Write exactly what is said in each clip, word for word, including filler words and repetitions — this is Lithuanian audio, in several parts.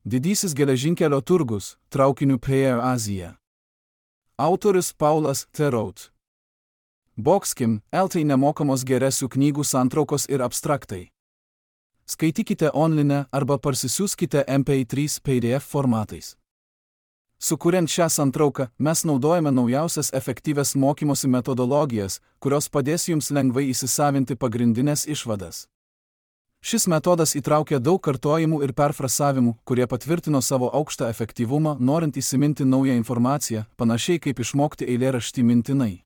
Didysis geležinkelio turgus, traukiniu per Aziją. Autorius Paulas Therout. Boxkim, eltai nemokamos geresių knygų santraukos ir abstraktai. Skaitykite online arba parsisiųskite M P trys P D F formatais. Sukuriant šią santrauką, mes naudojame naujausias efektyvias mokymosi metodologijas, kurios padės jums lengvai įsisavinti pagrindinės išvadas. Šis metodas įtraukia daug kartojimų ir perfrasavimų, kurie patvirtino savo aukštą efektyvumą, norint įsiminti naują informaciją, panašiai kaip išmokti eilėraštį mintinai.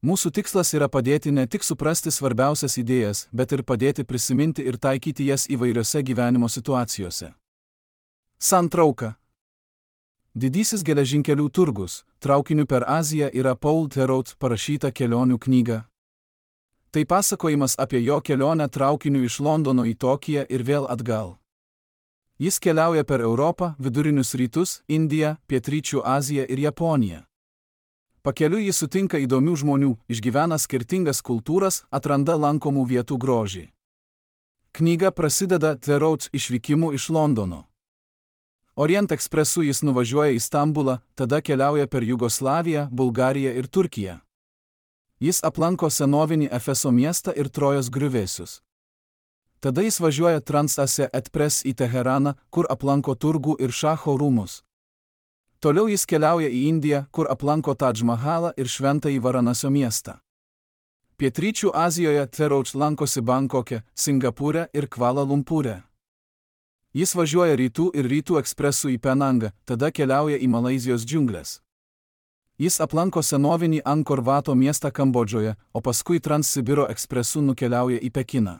Mūsų tikslas yra padėti ne tik suprasti svarbiausias idėjas, bet ir padėti prisiminti ir taikyti jas įvairiose gyvenimo situacijose. Santrauka. Didysis geležinkelių turgus, traukiniu per Aziją yra Paul Therout parašyta kelionių knyga. Tai pasakojimas apie jo kelionę traukiniu iš Londono į Tokiją ir vėl atgal. Jis keliauja per Europą, Vidurinius rytus, Indiją, Pietryčių Aziją ir Japoniją. Pakeliui jis sutinka įdomių žmonių, išgyvena skirtingas kultūras, atranda lankomų vietų grožį. Knyga prasideda Therout išvykimu iš Londono. Orient ekspresu jis nuvažiuoja į Stambulą, tada keliauja per Jugoslaviją, Bulgariją ir Turkiją. Jis aplanko senovinį Efeso miestą ir Trojos griuvėsius. Tada jis važiuoja Trans-Asia Express į Teheraną, kur aplanko turgų ir šacho rūmus. Toliau jis keliauja į Indiją, kur aplanko Tadž Mahalą ir šventąjį Varanasio miestą. Pietryčių Azijoje Therout lankosi Bankoke, Singapūre ir Kvala Lumpūre. Jis važiuoja rytų ir rytų ekspresu į Penangą, tada keliauja į Malaizijos džiungles. Jis aplanko senovinį Angkor Vato miestą Kambodžoje, o paskui Transsibiro ekspresu nukeliauja į Pekiną.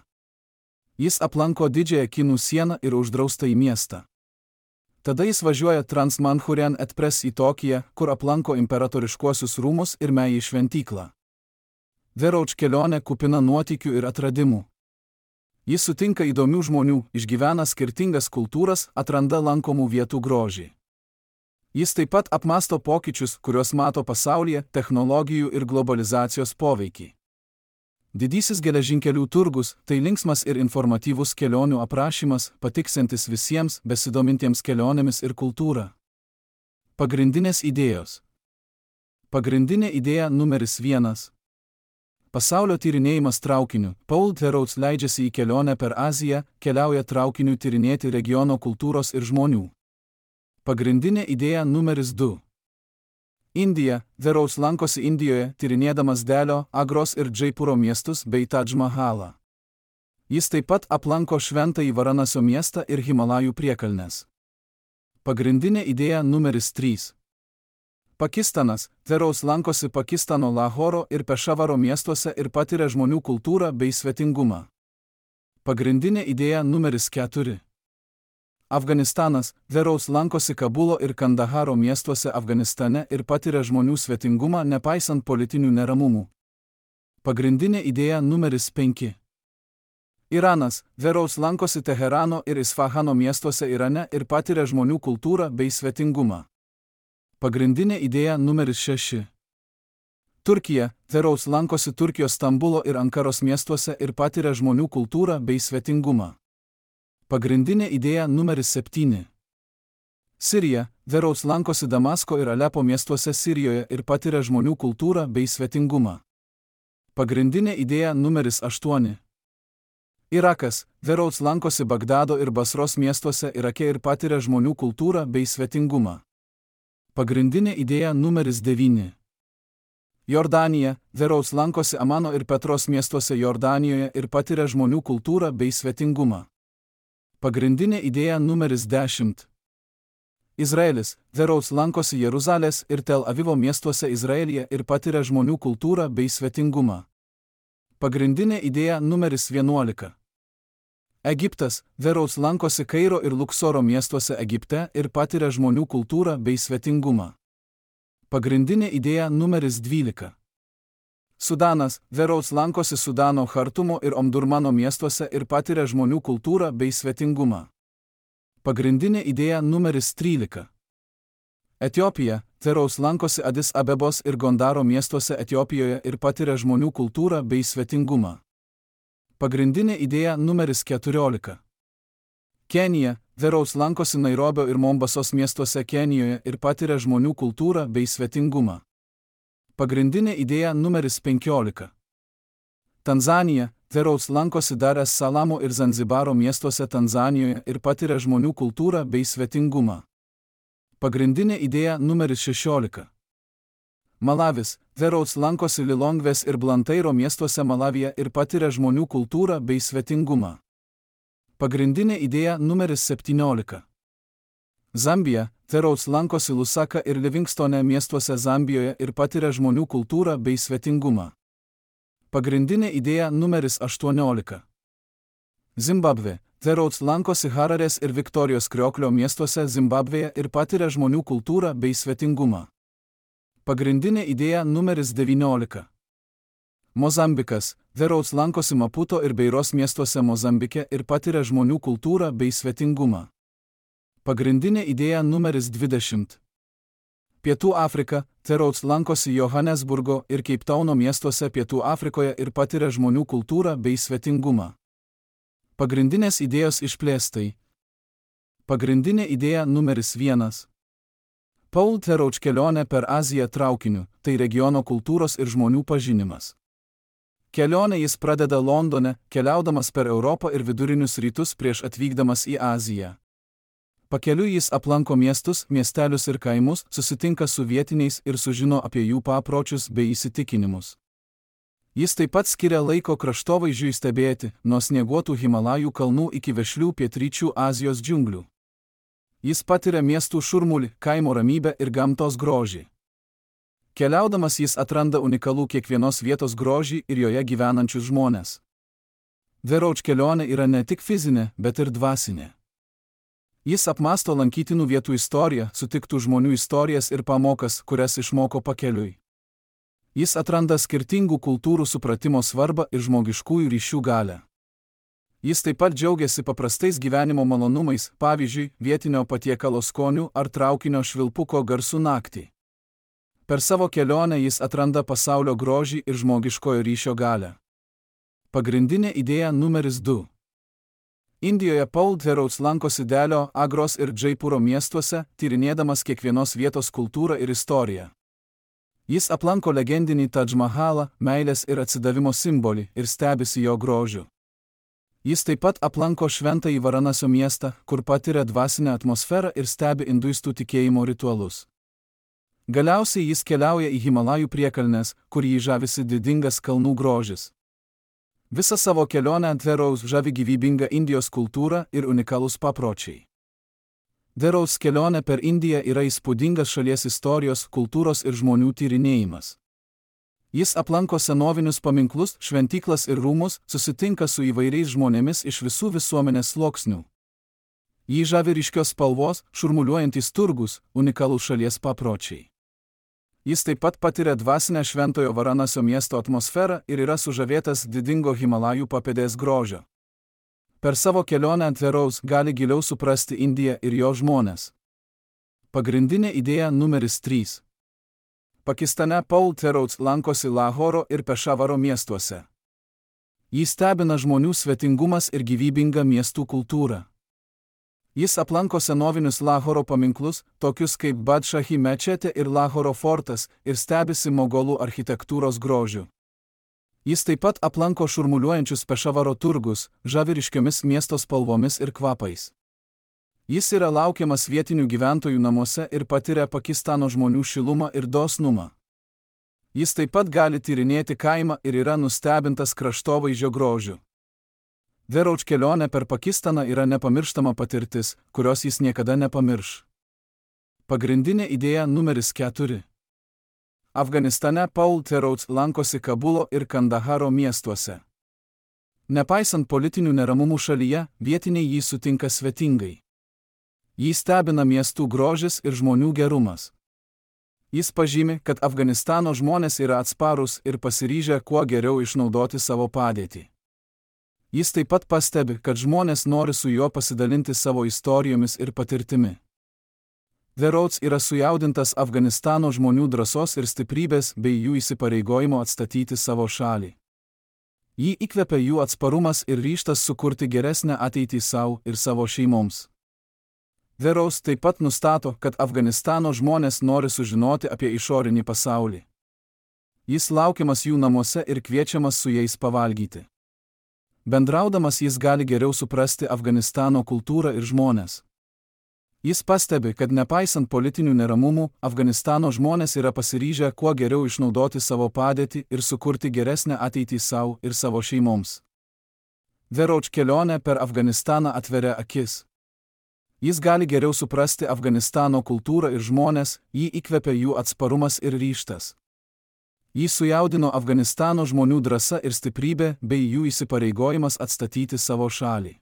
Jis aplanko didžiąją Kinų sieną ir uždraustąjį miestą. Tada jis važiuoja Trans-Manchurian Express į Tokiją, kur aplanko imperatoriškuosius rūmus ir Meji šventyklą. Therout kelionė kupina nuotykių ir atradimų. Jis sutinka įdomių žmonių, išgyvena skirtingas kultūras, atranda lankomų vietų grožį. Jis taip pat apmąsto pokyčius, kuriuos mato pasaulyje, technologijų ir globalizacijos poveikį. Didysis geležinkelių turgus – tai linksmas ir informatyvus kelionių aprašymas, patiksintis visiems besidomintiems kelionėmis ir kultūra. Pagrindinės idėjos. Pagrindinė idėja numeris vienas. Pasaulio tyrinėjimas traukiniu. Paul Therout leidžiasi į kelionę per Aziją, keliauja traukiniu tyrinėti regiono kultūros ir žmonių. Pagrindinė idėja numeris du. Indija. Therout lankosi Indijoje, tyrinėdamas Delio, Agros ir Džaipūro miestus bei Tadž Mahalą. Jis taip pat aplanko šventąjį Varanasio miestą ir Himalajų priekalnes. Pagrindinė idėja numeris trys. Pakistanas. Therout lankosi Pakistano Lahoro ir Pešavaro miestuose ir patiria žmonių kultūrą bei svetingumą. Pagrindinė idėja numeris keturi. Afganistanas. Therout lankosi Kabulo ir Kandaharo miestuose Afganistane ir patiria žmonių svetingumą nepaisant politinių neramumų. Pagrindinė idėja numeris penki. Iranas. Therout lankosi Teherano ir Isfahano miestuose Irane ir patiria žmonių kultūrą bei svetingumą. Pagrindinė idėja numeris šeši. Turkija. Therout lankosi Turkijos Stambulo ir Ankaros miestuose ir patiria žmonių kultūrą bei svetingumą. Pagrindinė idėja numeris septyni. Sirija. Therout lankosi Damasko ir Alepo miestuose Sirijoje ir patiria žmonių kultūrą bei svetingumą. Pagrindinė idėja numeris aštuoni. Irakas. Therout lankosi Bagdado ir Basros miestuose Irake ir patiria žmonių kultūrą bei svetingumą. Pagrindinė idėja numeris devyni. Jordanija. Therout lankosi Amano ir Petros miestuose Jordanijoje ir patiria žmonių kultūrą bei svetingumą. Pagrindinė idėja numeris dešimt. Izraelis. Therout lankosi Jeruzalės ir Tel Avivo miestuose Izraelyje ir patiria žmonių kultūrą bei svetingumą. Pagrindinė idėja numeris vienuolika. Egiptas. Therout lankosi Kairo ir Luksoro miestuose Egipte ir patiria žmonių kultūrą bei svetingumą. Pagrindinė idėja numeris dvylika. Sudanas. Therout lankosi Sudano Chartumo ir Omdurmano miestuose ir patiria žmonių kultūrą bei svetingumą. Pagrindinė idėja numeris trylika. Etiopija. Therout lankosi Adis Abebos ir Gondaro miestuose Etiopijoje ir patiria žmonių kultūrą bei svetingumą. Pagrindinė idėja numeris keturiolika. Kenija. The Rhodes lankosi Nairobio ir Mombasos miestuose Kenijoje ir patiria žmonių kultūrą bei svetingumą. Pagrindinė idėja numeris penkiolika. Tanzanija. The Rhodes lankosi Dar es Salamo ir Zanzibaro miestuose Tanzanijoje ir patiria žmonių kultūrą bei svetingumą. Pagrindinė idėja numeris šešiolika. Malavis. The Rhodes lankosi Lilongvės ir Blantyro miestuose Malavije ir patiria žmonių kultūrą bei svetingumą. Pagrindinė idėja numeris septyniolika. Zambija. The Rhodes lankosi Lusaka ir Livingstone miestuose Zambijoje ir patiria žmonių kultūrą bei svetingumą. Pagrindinė idėja numeris aštuoniolika. Zimbabvė. The Rhodes lankosi Hararės ir Viktorijos Krioklio miestuose Zimbabvėje ir patiria žmonių kultūrą bei svetingumą. Pagrindinė idėja numeris devyniolika. Mozambikas. The Rhodes lankosi Maputo ir Beiros miestuose Mozambike ir patiria žmonių kultūrą bei svetingumą. Pagrindinė idėja numeris dvidešimt. Pietų Afrika. The Rhodes lankosi Johannesburgo ir Keiptauno miestuose Pietų Afrikoje ir patiria žmonių kultūrą bei svetingumą. Pagrindinės idėjos išplėstai. Pagrindinė idėja numeris vienas. Paul The Rhodes kelionė per Aziją traukiniu, tai regiono kultūros ir žmonių pažinimas. Kelionę jis pradeda Londone, keliaudamas per Europą ir vidurinius rytus prieš atvykdamas į Aziją. Pakeliui jis aplanko miestus, miestelius ir kaimus, susitinka su vietiniais ir sužino apie jų papročius bei įsitikinimus. Jis taip pat skiria laiko kraštovaizdžiui stebėti, nuo snieguotų Himalajų kalnų iki vešlių pietryčių Azijos džiunglių. Jis patiria miestų šurmulį, kaimo ramybę ir gamtos grožį. Keliaudamas jis atranda unikalų kiekvienos vietos grožį ir joje gyvenančius žmones. The Rhodes kelionė yra ne tik fizinė, bet ir dvasinė. Jis apmąsto lankytinų vietų istoriją, sutiktų žmonių istorijas ir pamokas, kurias išmoko pakeliui. Jis atranda skirtingų kultūrų supratimo svarbą ir žmogiškųjų ryšių galią. Jis taip pat džiaugiasi paprastais gyvenimo malonumais, pavyzdžiui, vietinio patiekalo skoniu ar traukinio švilpuko garsų naktį. Per savo kelionę jis atranda pasaulio grožį ir žmogiškojo ryšio galią. Pagrindinė idėja numeris du. Indijoje Paul The Rhodes lankosi Delio, Agros ir Džaipūro miestuose, tyrinėdamas kiekvienos vietos kultūrą ir istoriją. Jis aplanko legendinį Tadž Mahalą, meilės ir atsidavimo simbolį, ir stebisi jo grožiu. Jis taip pat aplanko šventąjį Varanasio miestą, kur patiria dvasinę atmosferą ir stebi induistų tikėjimo ritualus. Galiausiai jis keliauja į Himalajų priekalnes, kur jį žavisi didingas kalnų grožis. Visą savo kelionę The Rhodes žavi gyvybinga Indijos kultūra ir unikalūs papročiai. The Rhodes kelionė per Indiją yra įspūdingas šalies istorijos, kultūros ir žmonių tyrinėjimas. Jis aplanko senovinius paminklus, šventyklas ir rūmus, susitinka su įvairiais žmonėmis iš visų visuomenės sluoksnių. Jį žavi ryškios spalvos, šurmuliuojantys turgus, unikalūs šalies papročiai. Jis taip pat patiria dvasinę šventojo Varanasio miesto atmosferą ir yra sužavėtas didingo Himalajų papėdės grožio. Per savo kelionę The Rhodes gali giliau suprasti Indiją ir jo žmones. Pagrindinė idėja numeris trys. Pakistane Paul The Rhodes lankosi Lahoro ir Pešavaro miestuose. Jį stebina žmonių svetingumas ir gyvybinga miestų kultūra. Jis aplanko senovinius Lahoro paminklus, tokius kaip Badšahi mečetė ir Lahoro fortas, ir stebisi mogolų architektūros grožiu. Jis taip pat aplanko šurmuliuojančius Pešavaro turgus, žavi ryškiomis miesto spalvomis ir kvapais. Jis yra laukiamas vietinių gyventojų namuose ir patiria Pakistano žmonių šilumą ir dosnumą. Jis taip pat gali tyrinėti kaimą ir yra nustebintas kraštovaizdžio grožiu. The Rhodes kelionė per Pakistaną yra nepamirštama patirtis, kurios jis niekada nepamirš. Pagrindinė idėja numeris keturi. Afganistane Paul The Rhodes lankosi Kabulo ir Kandaharo miestuose. Nepaisant politinių neramumų šalyje, vietiniai jį sutinka svetingai. Jį stebina miestų grožis ir žmonių gerumas. Jis pažymi, kad Afganistano žmonės yra atsparūs ir pasiryžę kuo geriau išnaudoti savo padėtį. Jis taip pat pastebi, kad žmonės nori su juo pasidalinti savo istorijomis ir patirtimi. The Rhodes yra sujaudintas Afganistano žmonių drąsos ir stiprybės bei jų įsipareigojimo atstatyti savo šalį. Jį įkvepia jų atsparumas ir ryžtas sukurti geresnę ateitį savo ir savo šeimoms. Theroux taip pat nustato, kad Afganistano žmonės nori sužinoti apie išorinį pasaulį. Jis laukiamas jų namuose ir kviečiamas su jais pavalgyti. Bendraudamas jis gali geriau suprasti Afganistano kultūrą ir žmonės. Jis pastebi, kad nepaisant politinių neramumų, Afganistano žmonės yra pasiryžę kuo geriau išnaudoti savo padėtį ir sukurti geresnę ateitį savo ir savo šeimoms. Theroux kelionė per Afganistaną atveria akis. Jis gali geriau suprasti Afganistano kultūrą ir žmonės, jį įkvepia jų atsparumas ir ryžtas. Jį sujaudino Afganistano žmonių drąsa ir stiprybė bei jų įsipareigojimas atstatyti savo šalį.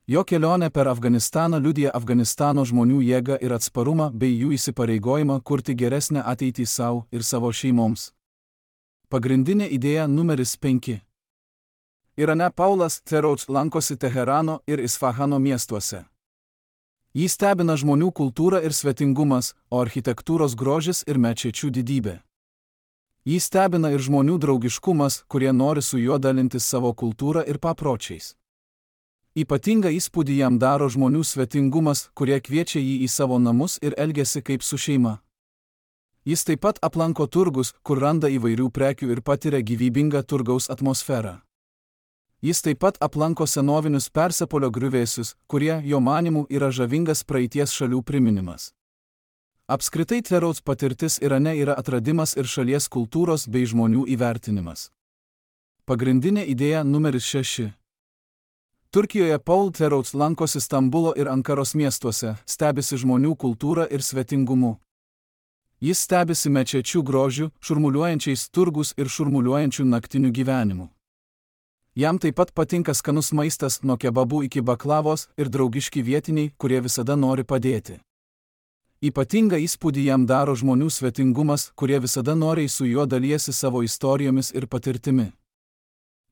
Jo kelionė per Afganistaną liudija Afganistano žmonių jėgą ir atsparumą bei jų įsipareigojimą kurti geresnę ateitį savo ir savo šeimoms. Pagrindinė idėja numeris penki. Irane Paulas Theroux lankosi Teherano ir Isfahano miestuose. Jį stebina žmonių kultūra ir svetingumas, o architektūros grožis ir mečečių didybė. Jį stebina ir žmonių draugiškumas, kurie nori su juo dalintis savo kultūrą ir papročiais. Ypatingą įspūdį jam daro žmonių svetingumas, kurie kviečia jį į savo namus ir elgiasi kaip su šeima. Jis taip pat aplanko turgus, kur randa įvairių prekių ir patiria gyvybingą turgaus atmosferą. Jis taip pat aplanko senovinius Persepolio griuvėsius, kurie, jo manymu, yra žavingas praeities šalių priminimas. Apskritai Theroux patirtis Irane yra atradimas ir šalies kultūros bei žmonių įvertinimas. Pagrindinė idėja numeris šeši. Turkijoje Paul Theroux lankosi Stambulo ir Ankaros miestuose, stebisi žmonių kultūrą ir svetingumu. Jis stebisi mečečių grožiu, šurmuliuojančiais turgus ir šurmuliuojančių naktinių gyvenimų. Jam taip pat patinka skanus maistas nuo kebabų iki baklavos ir draugiški vietiniai, kurie visada nori padėti. Ypatingą įspūdį jam daro žmonių svetingumas, kurie visada noriai su juo dalijasi savo istorijomis ir patirtimi.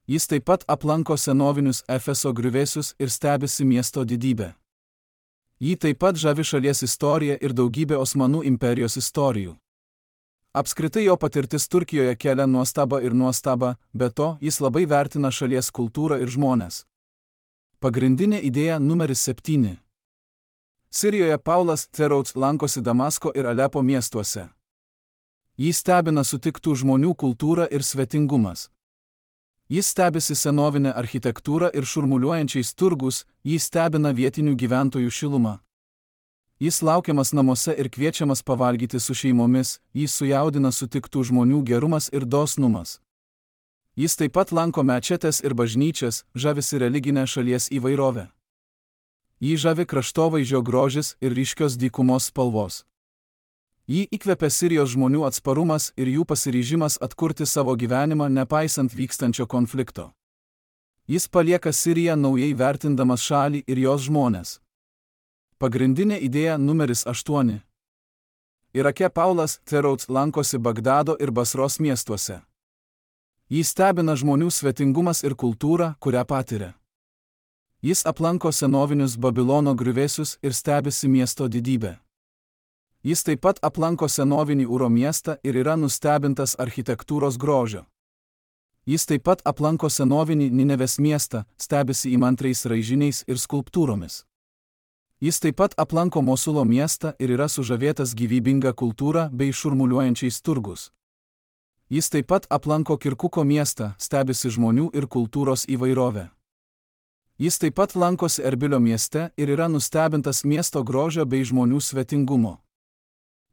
Jis taip pat aplanko senovinius Efeso griuvėsius ir stebisi miesto didybę. Jį taip pat žavi šalies istorija ir daugybė Osmanų imperijos istorijų. Apskritai jo patirtis Turkijoje kelia nuostabą ir nuostabą, be to jis labai vertina šalies kultūrą ir žmones. Pagrindinė idėja numeris septyni. Sirijoje Paulas Theroux lankosi Damasko ir Alepo miestuose. Jį stebina sutiktų žmonių kultūra ir svetingumas. Jis stebisi senovinę architektūrą ir šurmuliuojančiais turgus, jį stebina vietinių gyventojų šilumą. Jis laukiamas namuose ir kviečiamas pavalgyti su šeimomis, jį sujaudina sutiktų žmonių gerumas ir dosnumas. Jis taip pat lanko mečetes ir bažnyčias, žavisi religinę šalies įvairovę. Jį žavi kraštovaizdžio grožis ir ryškios dykumos spalvos. Jį įkvepia Sirijos žmonių atsparumas ir jų pasiryžimas atkurti savo gyvenimą nepaisant vykstančio konflikto. Jis palieka Siriją naujai vertindamas šalį ir jos žmones. Pagrindinė idėja numeris aštuoni. Irake Paulas Theroux lankosi Bagdado ir Basros miestuose. Jį stebina žmonių svetingumas ir kultūra, kurią patiria. Jis aplanko senovinius Babilono griuvėsius ir stebisi miesto didybę. Jis taip pat aplanko senovinį Uro miestą ir yra nustebintas architektūros grožio. Jis taip pat aplanko senovinį Ninevės miestą, stebisi įmantriais raižiniais ir skulptūromis. Jis taip pat aplanko Mosulo miestą ir yra sužavėtas gyvybinga kultūra bei šurmuliuojančiais turgus. Jis taip pat aplanko Kirkuko miestą, stebisi žmonių ir kultūros įvairovę. Jis taip pat lankosi Erbilio mieste ir yra nustebintas miesto grožio bei žmonių svetingumo.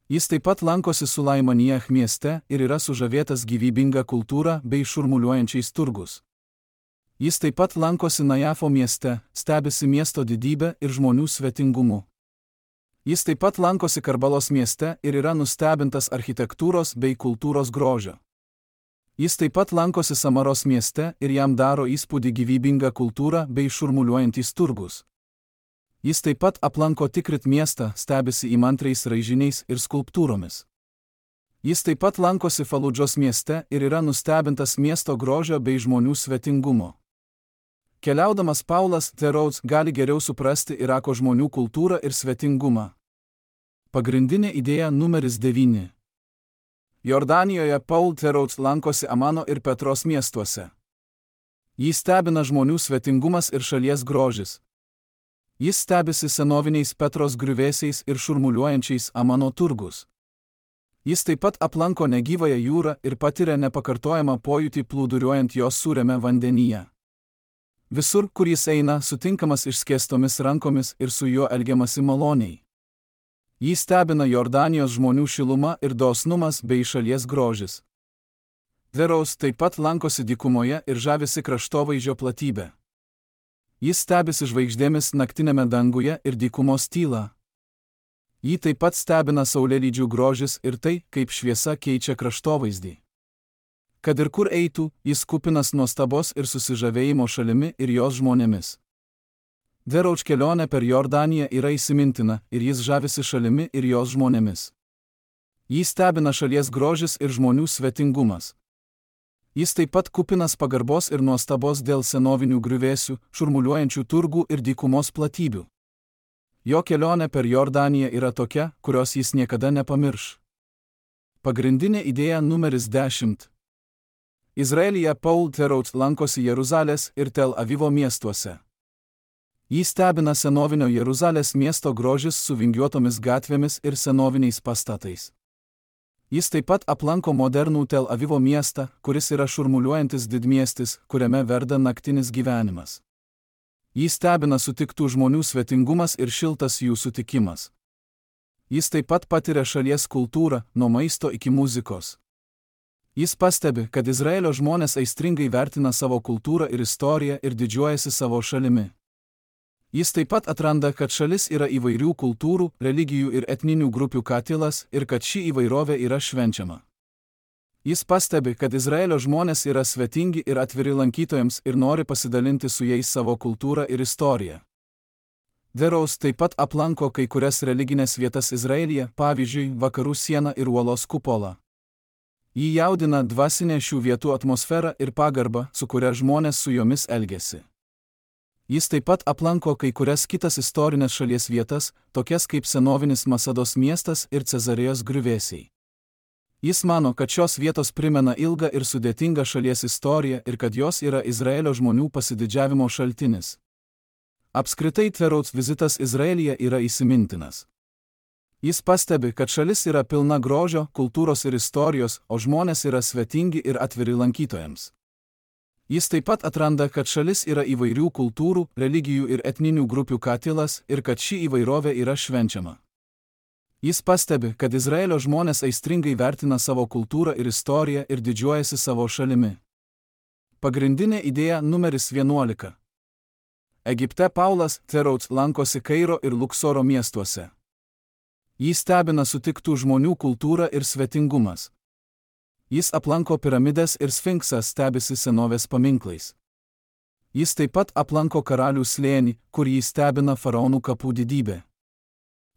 Jis taip pat lankosi Sulaimanijah mieste ir yra sužavėtas gyvybinga kultūra bei šurmuliuojančiais turgus. Jis taip pat lankosi Najafo mieste, stebisi miesto didybę ir žmonių svetingumu. Jis taip pat lankosi Karbalos mieste ir yra nustebintas architektūros bei kultūros grožio. Jis taip pat lankosi Samaros mieste ir jam daro įspūdį gyvybinga kultūra bei šurmuliuojantys turgus. Jis taip pat aplanko Tikrit miestą, stebisi įmantriais raižiniais ir skulptūromis. Jis taip pat lankosi Faludžos mieste ir yra nustebintas miesto grožio bei žmonių svetingumo. Keliaudamas Paulas Theroux gali geriau suprasti Irako žmonių kultūrą ir svetingumą. Pagrindinė idėja numeris devyni. Jordanijoje Paul Theroux lankosi Amano ir Petros miestuose. Jį stebina žmonių svetingumas ir šalies grožis. Jis stebisi senoviniais Petros griuvėsiais ir šurmuliuojančiais Amano turgus. Jis taip pat aplanko negyvąją jūrą ir patiria nepakartojamą pojūtį plūduriuojant jos sūriame vandenyje. Visur, kur jis eina, sutinkamas išskėstomis rankomis ir su juo elgiamasi maloniai. Jį stebina Jordanijos žmonių šiluma ir dosnumas bei šalies grožis. Deraus taip pat lankosi dykumoje ir žavisi kraštovaizdžio platybė. Jis stebisi žvaigždėmis naktinėme danguje ir dykumos tyla. Jį taip pat stebina saulėlydžių grožis ir tai, kaip šviesa keičia kraštovaizdį. Kad ir kur eitų, jis kupinas nuostabos ir susižavėjimo šalimi ir jos žmonėmis. Derauč kelionė per Jordaniją yra įsimintina ir jis žavisi šalimi ir jos žmonėmis. Jį stebina šalies grožis ir žmonių svetingumas. Jis taip pat kupinas pagarbos ir nuostabos dėl senovinių griuvėsių, šurmuliuojančių turgų ir dykumos platybių. Jo kelionė per Jordaniją yra tokia, kurios jis niekada nepamirš. Pagrindinė idėja numeris dešimt. Izraelyje Paul Theroux lankosi Jeruzalės ir Tel Avivo miestuose. Jį stebina senovinio Jeruzalės miesto grožis su vingiuotomis gatvėmis ir senoviniais pastatais. Jis taip pat aplanko modernų Tel Avivo miestą, kuris yra šurmuliuojantis didmiestis, kuriame verda naktinis gyvenimas. Jį stebina sutiktų žmonių svetingumas ir šiltas jų sutikimas. Jis taip pat patiria šalies kultūrą, nuo maisto iki muzikos. Jis pastebi, kad Izraelio žmonės aistringai vertina savo kultūrą ir istoriją ir didžiuojasi savo šalimi. Jis taip pat atranda, kad šalis yra įvairių kultūrų, religijų ir etninių grupių katilas ir kad ši įvairovė yra švenčiama. Jis pastebi, kad Izraelio žmonės yra svetingi ir atviri lankytojams ir nori pasidalinti su jais savo kultūrą ir istoriją. Deraus taip pat aplanko kai kurias religinės vietas Izraelyje, pavyzdžiui, Vakarų sieną ir uolos kupolą. Jį jaudina dvasinė šių vietų atmosfera ir pagarba, su kuria žmonės su jomis elgiasi. Jis taip pat aplanko kai kurias kitas istorinės šalies vietas, tokias kaip senovinis Masados miestas ir Cezarėjos griuvėsiai. Jis mano, kad šios vietos primena ilgą ir sudėtingą šalies istoriją ir kad jos yra Izraelio žmonių pasididžiavimo šaltinis. Apskritai Theroux vizitas Izraelyje yra įsimintinas. Jis pastebi, kad šalis yra pilna grožio, kultūros ir istorijos, o žmonės yra svetingi ir atviri lankytojams. Jis taip pat atranda, kad šalis yra įvairių kultūrų, religijų ir etninių grupių katilas ir kad ši įvairovė yra švenčiama. Jis pastebi, kad Izraelio žmonės aistringai vertina savo kultūrą ir istoriją ir didžiuojasi savo šalimi. Pagrindinė idėja numeris vienuolika. Egipte Paulas Theroux lankosi Kairo ir Luksoro miestuose. Jį stebina sutiktų žmonių kultūra ir svetingumas. Jis aplanko piramides ir sfinksą, stebisi senovės paminklais. Jis taip pat aplanko karalių slėnį, kur jį stebina faraonų kapų didybė.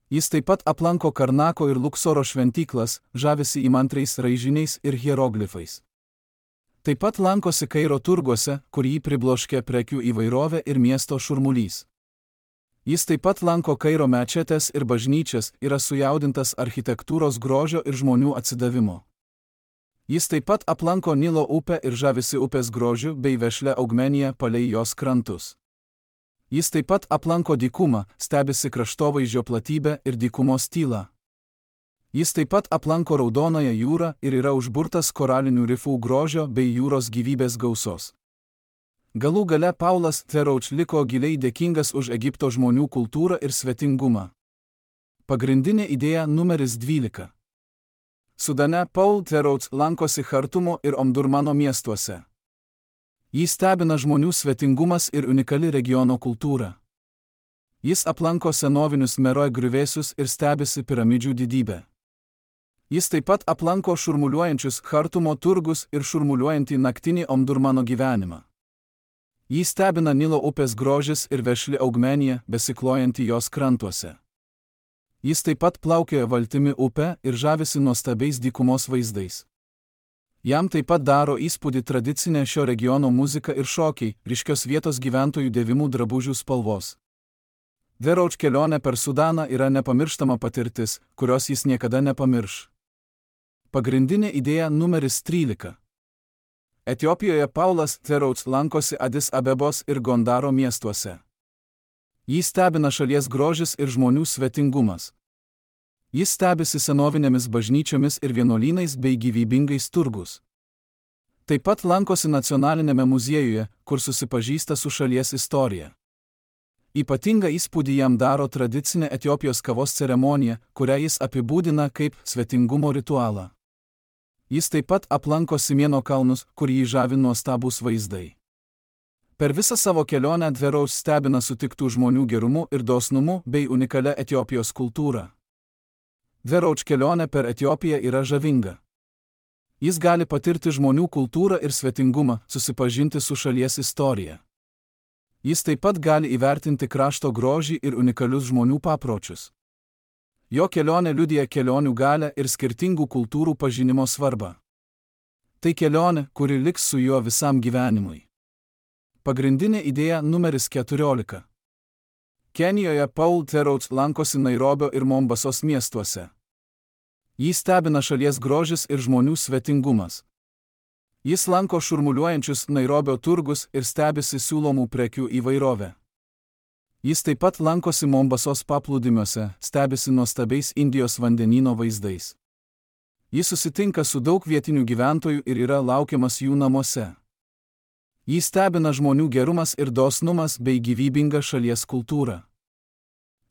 Jis taip pat aplanko Karnako ir Luksoro šventyklas, žavisi įmantriais raižiniais ir hieroglifais. Taip pat lankosi Kairo turguose, kur jį pribloškė prekių įvairovė ir miesto šurmulys. Jis taip pat lanko Kairo mečetes ir bažnyčias, yra sujaudintas architektūros grožio ir žmonių atsidavimo. Jis taip pat aplanko Nilo upę ir žavisi upės grožiu bei vešlia augmenija palei jos krantus. Jis taip pat aplanko dykumą, stebisi kraštovaizdžio platybę ir dykumos tylą. Jis taip pat aplanko Raudonąją jūrą ir yra užburtas koralinių rifų grožio bei jūros gyvybės gausos. Galų gale Paulas Theroux liko giliai dėkingas už Egipto žmonių kultūrą ir svetingumą. Pagrindinė idėja numeris dvylika. Sudane Paul Theroux lankosi Chartumo ir Omdurmano miestuose. Jį stebina žmonių svetingumas ir unikali regiono kultūra. Jis aplanko senovinius Meroj griuvėsius ir stebisi piramidžių didybę. Jis taip pat aplanko šurmuliuojančius Chartumo turgus ir šurmuliuojantį naktinį Omdurmano gyvenimą. Jį stebina Nilo upės grožis ir vešli augmenija, besiklojanti jos krantuose. Jis taip pat plaukioja valtimi upę ir žavisi nuostabiais dykumos vaizdais. Jam taip pat daro įspūdį tradicinė šio regiono muzika ir šokiai, ryškios vietos gyventojų dėvimų drabužių spalvos. Theroux kelionė per Sudaną yra nepamirštama patirtis, kurios jis niekada nepamirš. Pagrindinė idėja numeris trylika. Etiopijoje Paulas Theroux lankosi Adis Abebos ir Gondaro miestuose. Jį stebina šalies grožis ir žmonių svetingumas. Jis stebisi senovinėmis bažnyčiomis ir vienuolynais bei gyvybingais turgus. Taip pat lankosi nacionalinėme muziejuje, kur susipažįsta su šalies istorija. Ypatingą įspūdį jam daro tradicinė Etiopijos kavos ceremonija, kurią jis apibūdina kaip svetingumo ritualą. Jis taip pat aplanko Simieno kalnus, kur jį žavi nuostabūs vaizdai. Per visą savo kelionę Dverout stebina sutiktų žmonių gerumu ir dosnumu bei unikalia Etiopijos kultūra. Dverout kelionė per Etiopiją yra žavinga. Jis gali patirti žmonių kultūrą ir svetingumą, susipažinti su šalies istorija. Jis taip pat gali įvertinti krašto grožį ir unikalius žmonių papročius. Jo kelionė liudija kelionių galią ir skirtingų kultūrų pažinimo svarbą. Tai kelionė, kuri liks su juo visam gyvenimui. Pagrindinė idėja numeris keturiolika. Kenijoje Paul Dverout lankosi Nairobio ir Mombasos miestuose. Jį stebina šalies grožis ir žmonių svetingumas. Jis lanko šurmuliuojančius Nairobio turgus ir stebisi siūlomų prekių įvairovę. Jis taip pat lankosi Mombasos paplūdimiuose, stebisi nuostabiais Indijos vandenyno vaizdais. Jis susitinka su daug vietinių gyventojų ir yra laukiamas jų namuose. Jį stebina žmonių gerumas ir dosnumas bei gyvybinga šalies kultūra.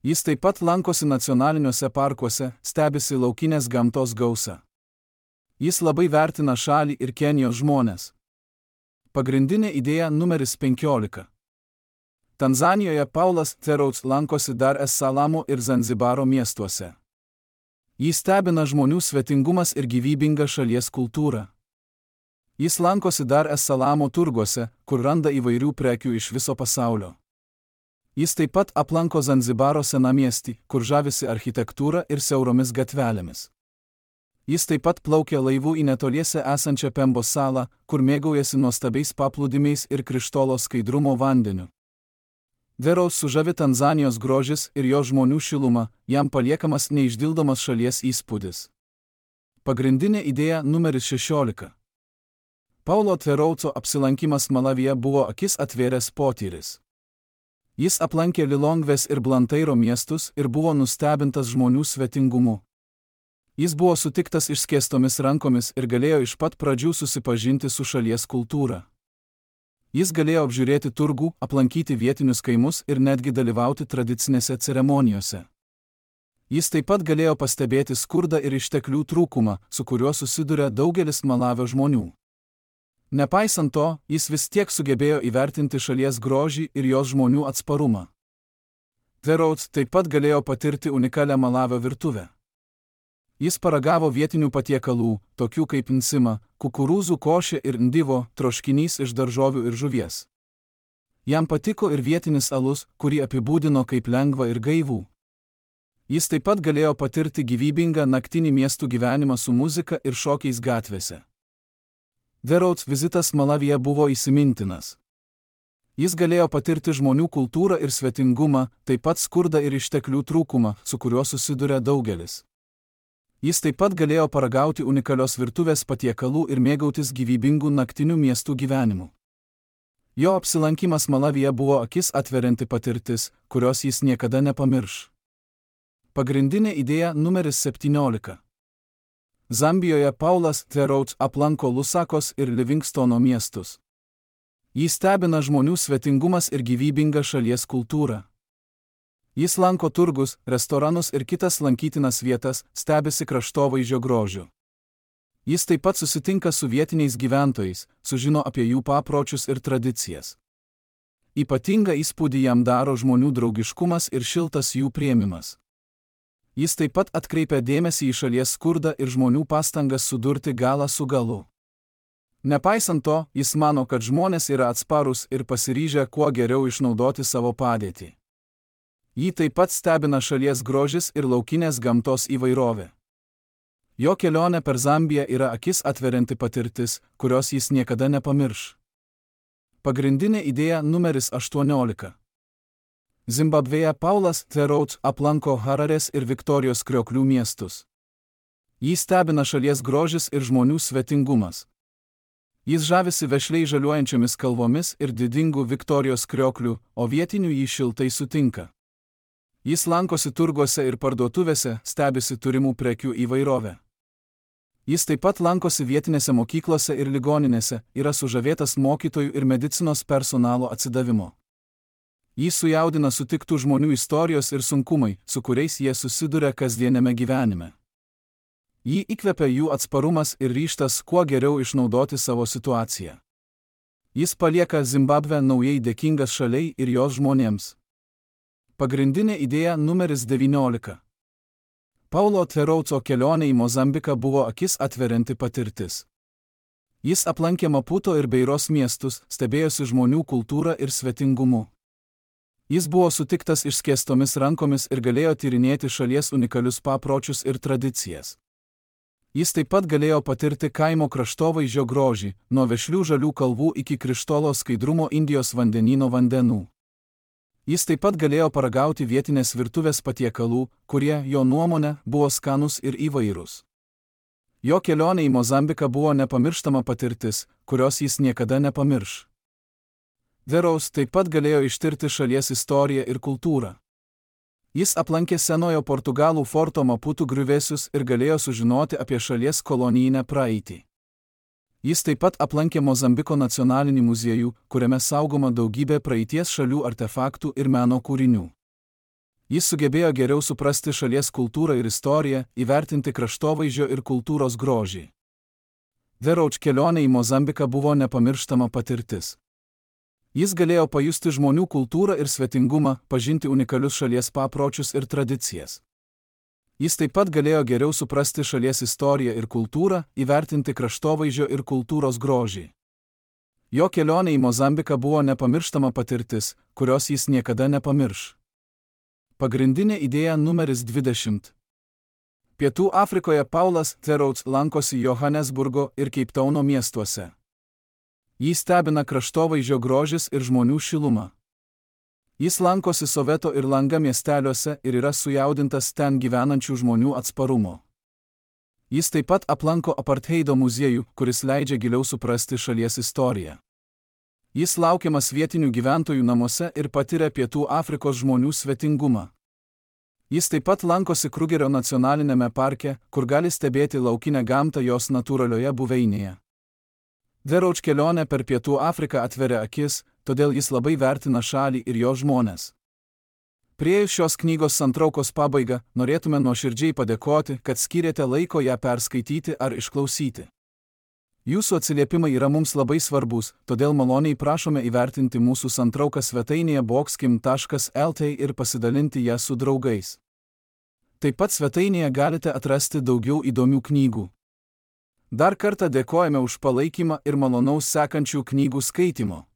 Jis taip pat lankosi nacionaliniuose parkuose, stebisi laukinės gamtos gausą. Jis labai vertina šalį ir Kenijos žmones. Pagrindinė idėja numeris penkiolika. Tanzanijoje Paulas Dverout lankosi Dar es Salamo ir Zanzibaro miestuose. Jį stebina žmonių svetingumas ir gyvybinga šalies kultūra. Jis lankosi Dar es Salamo turguose, kur randa įvairių prekių iš viso pasaulio. Jis taip pat aplanko Zanzibaro senamiestį, kur žavisi architektūra ir siauromis gatvelėmis. Jis taip pat plaukia laivu į netoliese esančią Pembos salą, kur mėgaujasi nuostabiais paplūdimiais ir krištolo skaidrumo vandeniu. Dverout sužavi Tanzanijos grožis ir jo žmonių šiluma, jam paliekamas neišdildomas šalies įspūdis. Pagrindinė idėja numeris šešiolika. Paulo Dverouto apsilankimas Malavije buvo akis atvėręs potyris. Jis aplankė Lilongvės ir Blantyro miestus ir buvo nustebintas žmonių svetingumu. Jis buvo sutiktas išskėstomis rankomis ir galėjo iš pat pradžių susipažinti su šalies kultūra. Jis galėjo apžiūrėti turgų, aplankyti vietinius kaimus ir netgi dalyvauti tradicinėse ceremonijose. Jis taip pat galėjo pastebėti skurdą ir išteklių trūkumą, su kuriuo susiduria daugelis Malavio žmonių. Nepaisant to, jis vis tiek sugebėjo įvertinti šalies grožį ir jos žmonių atsparumą. Dverout taip pat galėjo patirti unikalią Malavio virtuvę. Jis paragavo vietinių patiekalų, tokių kaip nsima, kukurūzų košė ir ndivo, troškinys iš daržovių ir žuvies. Jam patiko ir vietinis alus, kurį apibūdino kaip lengvą ir gaivų. Jis taip pat galėjo patirti gyvybingą naktinį miestų gyvenimą su muzika ir šokiais gatvėse. Dverout vizitas Malavije buvo įsimintinas. Jis galėjo patirti žmonių kultūrą ir svetingumą, taip pat skurdą ir išteklių trūkumą, su kuriuo susiduria daugelis. Jis taip pat galėjo paragauti unikalios virtuvės patiekalų ir mėgautis gyvybingų naktinių miestų gyvenimu. Jo apsilankimas Malavije buvo akis atverianti patirtis, kurios jis niekada nepamirš. Pagrindinė idėja numeris septyniolika. Zambijoje Paulas Dverout aplanko Lusakos ir Livingstono miestus. Jį stebina žmonių svetingumas ir gyvybinga šalies kultūra. Jis lanko turgus, restoranus ir kitas lankytinas vietas, stebisi kraštovaizdžio grožiu. Jis taip pat susitinka su vietiniais gyventojais, sužino apie jų papročius ir tradicijas. Ypatingą įspūdį jam daro žmonių draugiškumas ir šiltas jų priėmimas. Jis taip pat atkreipia dėmesį į šalies skurdą ir žmonių pastangas sudurti galą su galu. Nepaisant to, jis mano, kad žmonės yra atsparūs ir pasiryžę kuo geriau išnaudoti savo padėtį. Jį taip pat stebina šalies grožis ir laukinės gamtos įvairovė. Jo kelionė per Zambiją yra akis atverianti patirtis, kurios jis niekada nepamirš. Pagrindinė idėja numeris aštuoniolika. Zimbabvėje Paulas Dverout aplanko Hararės ir Viktorijos krioklių miestus. Jį stebina šalies grožis ir žmonių svetingumas. Jis žavisi vešliai žaliuojančiomis kalvomis ir didingų Viktorijos krioklių, o vietinių jį šiltai sutinka. Jis lankosi turguose ir parduotuvėse, stebisi turimų prekių įvairovę. Jis taip pat lankosi vietinėse mokyklose ir ligoninėse, yra sužavėtas mokytojų ir medicinos personalo atsidavimo. Jį sujaudina sutiktų žmonių istorijos ir sunkumai, su kuriais jie susiduria kasdienėme gyvenime. Jį įkvepia jų atsparumas ir ryžtas kuo geriau išnaudoti savo situaciją. Jis palieka Zimbabvę naujai dėkingas šaliai ir jos žmonėms. Pagrindinė idėja numeris devyniolika. Paulo Theroutso kelionė į Mozambiką buvo akis atverianti patirtis. Jis aplankė Maputo ir Beiros miestus, stebėjosi žmonių kultūrą ir svetingumu. Jis buvo sutiktas išskėstomis rankomis ir galėjo tyrinėti šalies unikalius papročius ir tradicijas. Jis taip pat galėjo patirti kaimo kraštovaizdžio grožį, nuo vešlių žalių kalvų iki krištolo skaidrumo Indijos vandenyno vandenų. Jis taip pat galėjo paragauti vietinės virtuvės patiekalų, kurie, jo nuomone, buvo skanūs ir įvairūs. Jo kelionė į Mozambiką buvo nepamirštama patirtis, kurios jis niekada nepamirš. Theroux taip pat galėjo ištirti šalies istoriją ir kultūrą. Jis aplankė senojo Portugalų forto Maputo griuvėsius ir galėjo sužinoti apie šalies kolonijinę praeitį. Jis taip pat aplankė Mozambiko nacionalinį muziejų, kuriame saugoma daugybė praeities šalių artefaktų ir meno kūrinių. Jis sugebėjo geriau suprasti šalies kultūrą ir istoriją, įvertinti kraštovaizdžio ir kultūros grožį. Theroux kelionė į Mozambiką buvo nepamirštama patirtis. Jis galėjo pajusti žmonių kultūrą ir svetingumą, pažinti unikalius šalies papročius ir tradicijas. Jis taip pat galėjo geriau suprasti šalies istoriją ir kultūrą, įvertinti kraštovaizdžio ir kultūros grožį. Jo kelionė į Mozambiką buvo nepamirštama patirtis, kurios jis niekada nepamirš. Pagrindinė idėja numeris dvidešimt. Pietų Afrikoje Paulas Theroux lankosi Johannesburgo ir Keiptauno miestuose. Jį stebina kraštovaizdžio grožis ir žmonių šiluma. Jis lankosi Soveto ir Langa miesteliuose ir yra sujaudintas ten gyvenančių žmonių atsparumo. Jis taip pat aplanko apartheido muziejų, kuris leidžia giliau suprasti šalies istoriją. Jis laukiamas vietinių gyventojų namuose ir patiria Pietų Afrikos žmonių svetingumą. Jis taip pat lankosi Krugerio nacionalinėme parke, kur gali stebėti laukinę gamtą jos natūralioje buveinėje. Theroux kelionė per Pietų Afriką atveria akis, todėl jis labai vertina šalį ir jo žmones. Priėjus šios knygos santraukos pabaigą, norėtume nuoširdžiai padėkoti, kad skyrėte laiko ją perskaityti ar išklausyti. Jūsų atsiliepimai yra mums labai svarbus, todėl maloniai prašome įvertinti mūsų santrauką svetainėje boxkim taškas el t ir pasidalinti ją su draugais. Taip pat svetainėje galite atrasti daugiau įdomių knygų. Dar kartą dėkojame už palaikymą ir malonaus sekančių knygų skaitimo.